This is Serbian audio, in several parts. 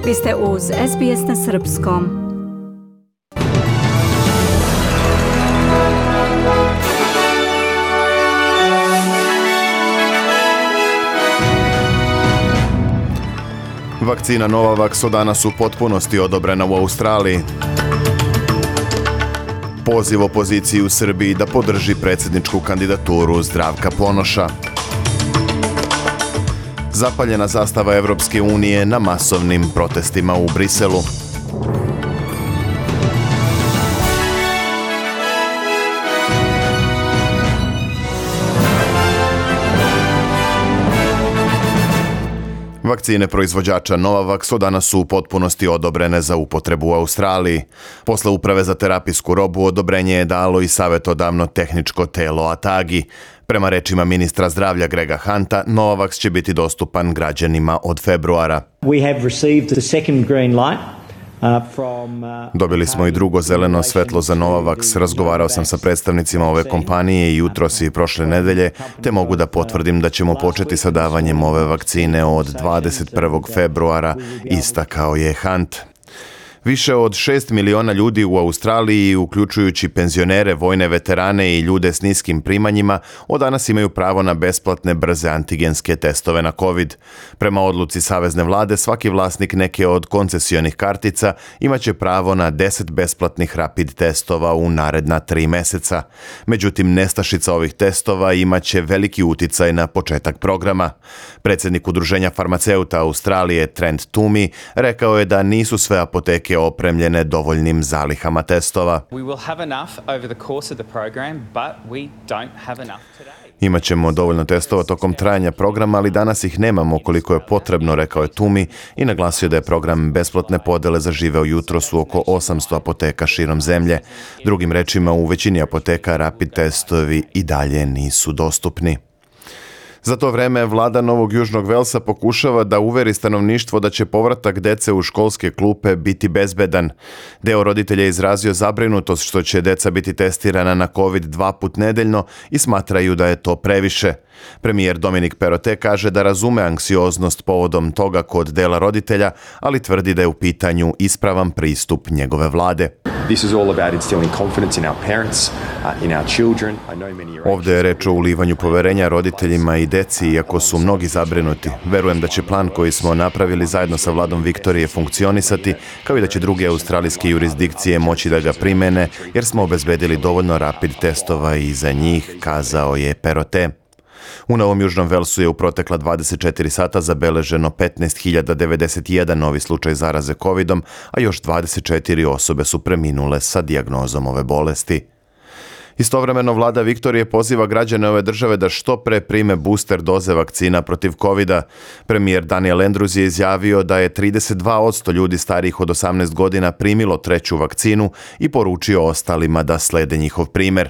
Vi ste uz SBS na srpskom. Vakcina Novavax od danas u potpunosti odobrena u Australiji. Poziv opoziciji u Srbiji da podrži predsjedničku kandidaturu Zdravka Ponoša. Zapaljena zastava Evropske unije na masovnim protestima u Briselu. Vakcine proizvođača Novavax od danas su u potpunosti odobrene za upotrebu u Australiji. Posle Uprave za terapijsku robu odobrenje je dalo i savjetodavno tehničko telo ATAGI. Prema rečima ministra zdravlja Grega Hunta, Novavax će biti dostupan građanima od februara. Dobili smo i drugo zeleno svetlo za Novavax. Razgovarao sam sa predstavnicima ove kompanije i jutros i prošle nedelje, te mogu da potvrdim da ćemo početi sa davanjem ove vakcine od 21. februara, istakao je Hunt. Više od 6 miliona ljudi u Australiji, uključujući penzionere, vojne veterane i ljude s niskim primanjima, od danas imaju pravo na besplatne brze antigenske testove na COVID. Prema odluci savezne vlade, svaki vlasnik neke od koncesionih kartica imaće pravo na 10 besplatnih rapid testova u naredna 3 meseca. Međutim, nestašica ovih testova imaće veliki uticaj na početak programa. Predsjednik Udruženja farmaceuta Australije, Trent Toomey, rekao je da nisu sve apoteke opremljene dovoljnim zalihama testova. Imaćemo dovoljno testova tokom trajanja programa, ali danas ih nemamo koliko je potrebno, rekao je Toomey i naglasio da je program besplatne podele zaživeo jutros u oko 800 apoteka širom zemlje. Drugim rečima, u većini apoteka rapid testovi i dalje nisu dostupni. Za to vreme vlada Novog Južnog Velsa pokušava da uveri stanovništvo da će povratak dece u školske klupe biti bezbedan. Deo roditelja je izrazio zabrinutost što će deca biti testirana na COVID 2 put nedeljno i smatraju da je to previše. Premijer Dominic Perrottet kaže da razume anksioznost povodom toga kod dela roditelja, ali tvrdi da je u pitanju ispravan pristup njegove vlade. Ovdje je reč o ulivanju poverenja roditeljima i deci, iako su mnogi zabrinuti. Verujem da će plan koji smo napravili zajedno sa vladom Viktorije funkcionisati, kao i da će druge australijske jurisdikcije moći da ga primene, jer smo obezbedili dovoljno rapid testova i za njih, kazao je Perrottet. U Novom Južnom Velsu je u protekla 24 sata zabeleženo 15.091 novi slučaj zaraze COVID-om, a još 24 osobe su preminule sa dijagnozom ove bolesti. Istovremeno, vlada Viktorije poziva građane ove države da što pre prime booster doze vakcina protiv COVID-a. Premijer Daniel Andrews je izjavio da je 32% ljudi starijih od 18 godina primilo treću vakcinu i poručio ostalima da slede njihov primer.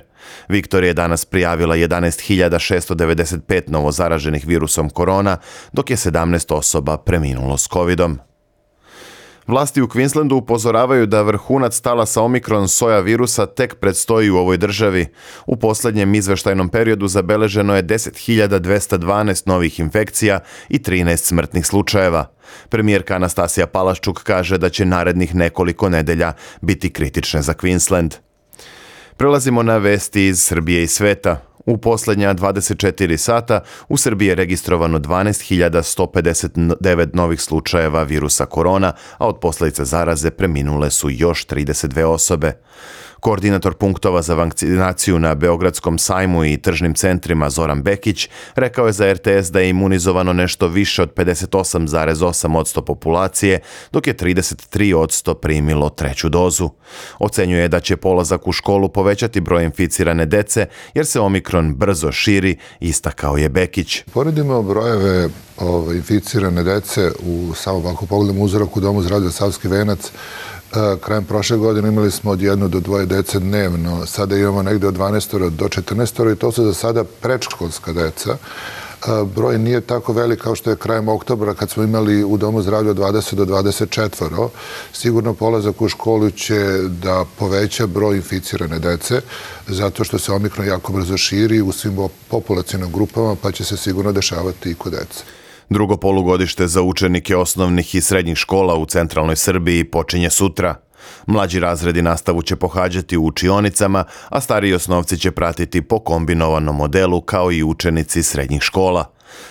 Viktorija je danas prijavila 11.695 novozaraženih virusom korona, dok je 17 osoba preminulo s COVID-om. Vlasti u Queenslandu upozoravaju da vrhunac talasa Omikron soja virusa tek predstoji u ovoj državi. U posljednjem izveštajnom periodu zabeleženo je 10.212 novih infekcija i 13 smrtnih slučajeva. Premijerka Anastasija Palaščuk kaže da će narednih nekoliko nedelja biti kritične za Queensland. Prelazimo na vesti iz Srbije i sveta. U posljednja 24 sata u Srbiji je registrovano 12.159 novih slučajeva virusa korona, a od posljedica zaraze preminule su još 32 osobe. Koordinator punktova za vakcinaciju na Beogradskom sajmu i tržnim centrima Zoran Bekić rekao je za RTS da je imunizovano nešto više od 58,8% populacije, dok je 33% primilo treću dozu. Ocenjuje da će polazak u školu povećati broj inficirane dece jer se Omikron brzo širi, istakao je Bekić. Poredimo brojeve inficirane dece u samo ako pogledamo uzorak u Domu zdravlja Savski Venac. Krajem prošle godine imali smo od 1 do 2 dece dnevno, sada imamo negde od 12 do 14 i to su za sada predškolska deca. Broj nije tako velik kao što je krajem oktobra kad smo imali u Domu zdravlja 20 do 24. Sigurno polazak u školu će da poveća broj inficirane dece zato što se Omikron jako brzo širi u svim populacijnim grupama pa će se sigurno dešavati i kod dece. Drugo polugodište za učenike osnovnih i srednjih škola u centralnoj Srbiji počinje sutra. Mlađi razredi nastavu će pohađati u učionicama, a stariji osnovci će pratiti po kombinovanom modelu kao i učenici srednjih škola.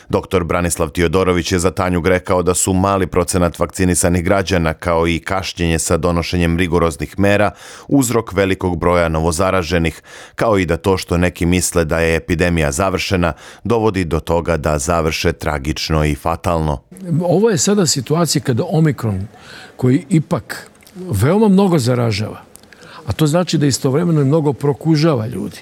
Dr. Branislav Tiodorović je za Tanjug rekao da su mali procenat vakcinisanih građana kao i kašnjenje sa donošenjem rigoroznih mera uzrok velikog broja novozaraženih, kao i da to što neki misle da je epidemija završena dovodi do toga da završe tragično i fatalno. Ovo je sada situacija kada Omikron, koji ipak veoma mnogo zaražava, a to znači da istovremeno i mnogo prokužava ljudi.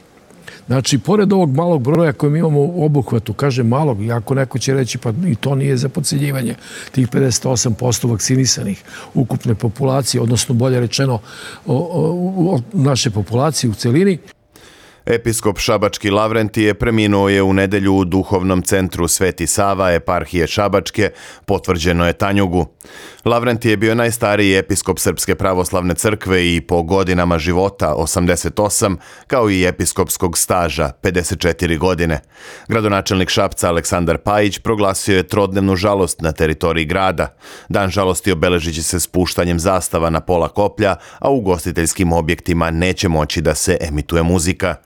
Znači, pored ovog malog broja koji mi imamo u obuhvatu, kažem malog, iako neko će reći pa i to nije za podcenjivanje, tih 58% vakcinisanih ukupne populacije, odnosno bolje rečeno naše populacije u celini. Episkop Šabački Lavrentije preminuo je u nedelju u duhovnom centru Sveti Sava, eparhije Šabačke, potvrđeno je Tanjugu. Lavrentije je bio najstariji episkop Srpske pravoslavne crkve i po godinama života 88, kao i episkopskog staža 54 godine. Gradonačelnik Šapca Aleksandar Pajić proglasio je trodnevnu žalost na teritoriji grada. Dan žalosti obeležit će se spuštanjem zastava na pola koplja, a u ugostiteljskim objektima neće moći da se emituje muzika.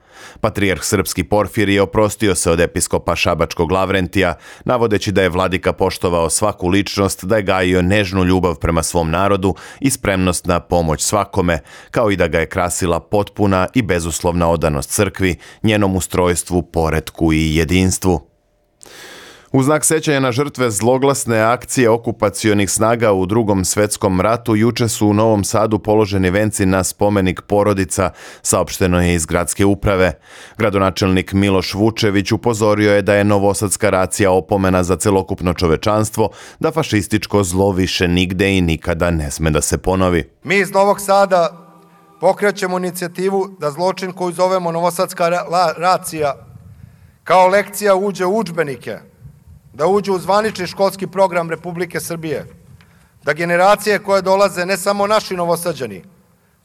Patrijarh srpski Porfirije oprostio se od episkopa Šabačkog Lavrentija, navodeći da je vladika poštovao svaku ličnost, da je gajio nežnu ljubav prema svom narodu i spremnost na pomoć svakome, kao i da ga je krasila potpuna i bezuslovna odanost crkvi, njenom ustrojstvu, poretku i jedinstvu. U znak sećanja na žrtve zloglasne akcije okupacionih snaga u Drugom svetskom ratu juče su u Novom Sadu položeni venci na spomenik porodica, saopšteno je iz gradske uprave. Gradonačelnik Miloš Vučević upozorio je da je novosadska racija opomena za celokupno čovečanstvo, da fašističko zlo više nigde i nikada ne sme da se ponovi. Mi iz Novog Sada pokrećemo inicijativu da zločin koju zovemo novosadska racija kao lekcija uđe u udžbenike, da uđe u zvanični školski program Republike Srbije, da generacije koje dolaze, ne samo naši novosađani,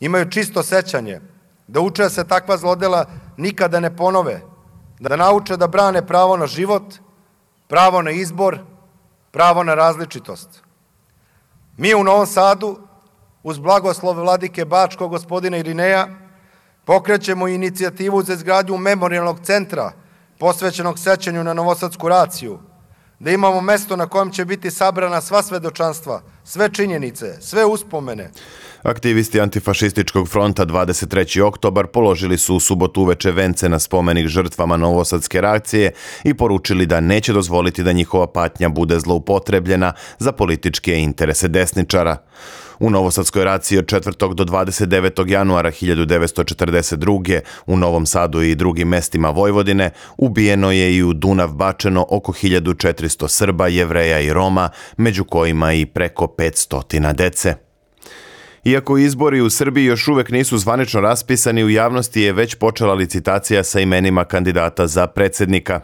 imaju čisto sećanje, da uče da se takva zlodela nikada ne ponove, da nauče da brane pravo na život, pravo na izbor, pravo na različitost. Mi u Novom Sadu, uz blagoslov vladike Bačkog gospodina Irineja, pokrećemo inicijativu za izgradnju memorijalnog centra posvećenog sećanju na novosadsku raciju, da imamo mesto na kojem će biti sabrana sva svedočanstva, sve činjenice, sve uspomene. Aktivisti Antifašističkog fronta 23. oktobar položili su u subotu uveče vence na spomenik žrtvama novosadske reakcije i poručili da neće dozvoliti da njihova patnja bude zloupotrebljena za političke interese desničara. U novosadskoj raciji od 4. do 29. januara 1942. u Novom Sadu i drugim mestima Vojvodine ubijeno je i u Dunav bačeno oko 1400 Srba, Jevreja i Roma, među kojima i preko 500 dece. Iako izbori u Srbiji još uvek nisu zvanično raspisani, u javnosti je već počela licitacija sa imenima kandidata za predsjednika.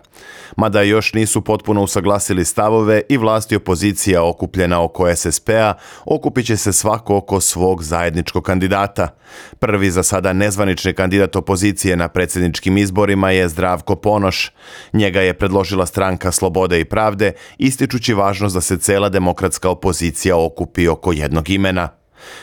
Mada još nisu potpuno usaglasili stavove i vlast i opozicija okupljena oko SSP-a, okupit će se svako oko svog zajedničkog kandidata. Prvi za sada nezvanični kandidat opozicije na predsjedničkim izborima je Zdravko Ponoš. Njega je predložila stranka Slobode i pravde, ističući važnost da se cela demokratska opozicija okupi oko jednog imena.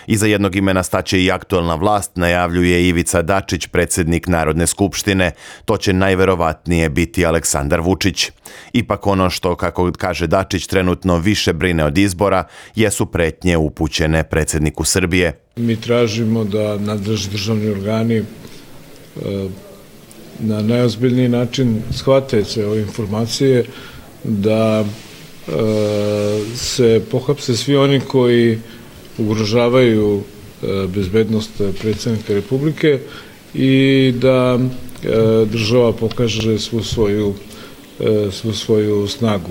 Iza jednog imena staće i aktuelna vlast, najavljuje Ivica Dačić, predsjednik Narodne skupštine. To će najverovatnije biti Aleksandar Vučić. Ipak ono što, kako kaže Dačić, trenutno više brine od izbora, jesu pretnje upućene predsjedniku Srbije. Mi tražimo da nadležni državni organi na najozbiljniji način shvate sve ove informacije, da se pohapse svi oni koji ugrožavaju bezbednost predsjednika Republike i da država pokaže svu svoju snagu.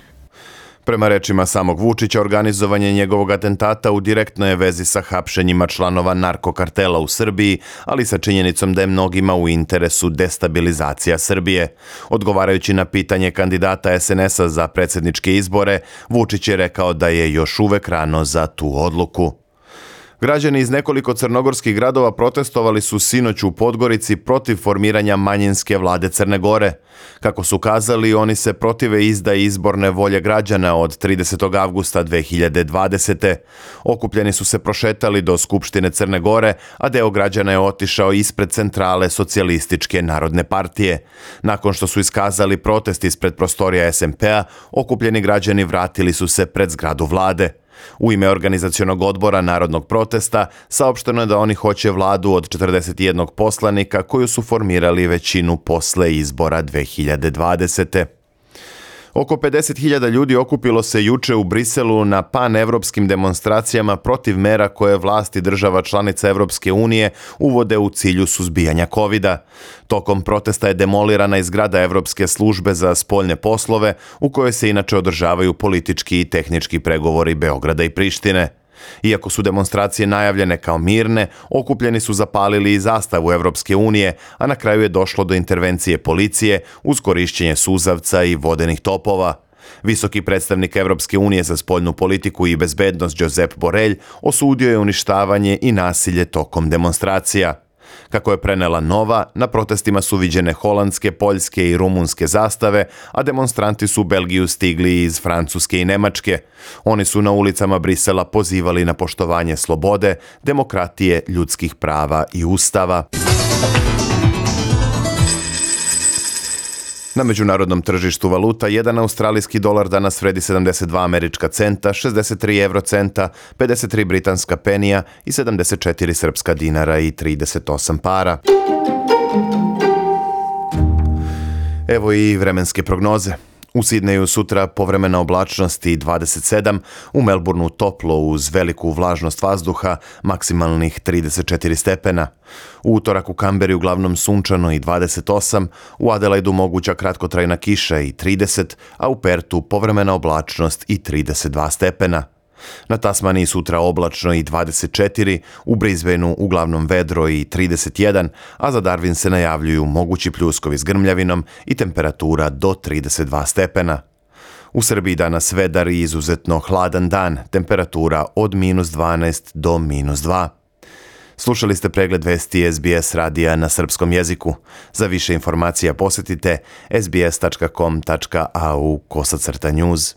Prema rečima samog Vučića, organizovanje njegovog atentata u direktnoj je vezi sa hapšenjima članova narkokartela u Srbiji, ali sa činjenicom da je mnogima u interesu destabilizacija Srbije. Odgovarajući na pitanje kandidata SNS-a za predsjedničke izbore, Vučić je rekao da je još uvek rano za tu odluku. Građani iz nekoliko crnogorskih gradova protestovali su sinoć u Podgorici protiv formiranja manjinske vlade Crne Gore. Kako su kazali, oni se protive izdaji izborne volje građana od 30. avgusta 2020. Okupljeni su se prošetali do Skupštine Crne Gore, a deo građana je otišao ispred centrale Socijalističke narodne partije. Nakon što su iskazali protest ispred prostorija SMP-a, okupljeni građani vratili su se pred zgradu vlade. U ime organizacionog odbora narodnog protesta saopšteno je da oni hoće vladu od 41 poslanika koju su formirali većinu posle izbora 2020. Oko 50.000 ljudi okupilo se juče u Briselu na panevropskim demonstracijama protiv mera koje vlasti država članica Evropske unije uvode u cilju suzbijanja covida. Tokom protesta je demolirana i zgrada Evropske službe za spoljne poslove, u kojoj se inače održavaju politički i tehnički pregovori Beograda i Prištine. Iako su demonstracije najavljene kao mirne, okupljeni su zapalili i zastavu Evropske unije, a na kraju je došlo do intervencije policije uz korišćenje suzavca i vodenih topova. Visoki predstavnik Evropske unije za spoljnu politiku i bezbednost Josep Borrell osudio je uništavanje i nasilje tokom demonstracija. Kako je prenela Nova, na protestima su viđene holandske, poljske i rumunske zastave, a demonstranti su u Belgiju stigli iz Francuske i Nemačke. Oni su na ulicama Brisela pozivali na poštovanje slobode, demokratije, ljudskih prava i ustava. Na međunarodnom tržištu valuta, jedan australijski dolar danas vredi 72 američka centa, 63 eurocenta, 53 britanska penija i 74 srpska dinara i 38 para. Evo i vremenske prognoze. U Sidneju sutra povremena oblačnost i 27, u Melbourneu toplo uz veliku vlažnost vazduha, maksimalnih 34 stepena. U utorak u Kamberi uglavnom sunčano i 28, u Adelaidu moguća kratkotrajna kiša i 30, a u Pertu povremena oblačnost i 32 stepena. Na Tasmaniji sutra oblačno i 24, u Brisbaneu uglavnom vedro i 31, a za Darwin se najavljuju mogući pljuskovi s grmljavinom i temperatura do 32 stepena. U Srbiji danas vedar i izuzetno hladan dan, temperatura od -12 do -2. Slušali ste pregled vesti SBS radija na srpskom jeziku. Za više informacija posjetite sbs.com.au/news.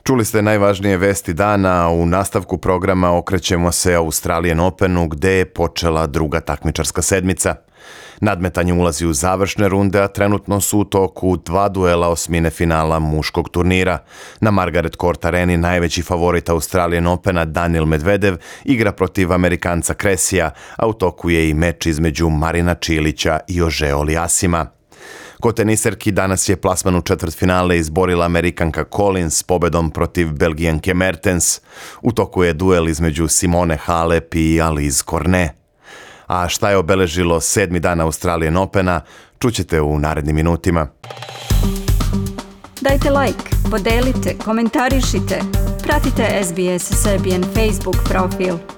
Čuli ste najvažnije vesti dana, a u nastavku programa okrećemo se Australian Openu gde je počela druga takmičarska sedmica. Nadmetanje ulazi u završne runde, a trenutno su u toku 2 duela osmine finala muškog turnira. Na Margaret Court Areni najveći favorit Australian Opena Daniil Medvedev igra protiv Amerikanca Cressija, a u toku je i meč između Marina Čilića i Ože Oliasima. Kod teniserki danas je plasman u četvrtfinale izborila Amerikanka Collins s pobedom protiv Belgijanke Mertens. U toku je duel između Simone Halep i Alize Cornet. A šta je obeležilo 7. dan Australian Opena, čućete u narednim minutima. Dajte like, podelite, komentarišite. Pratite SBS Serbian Facebook profil.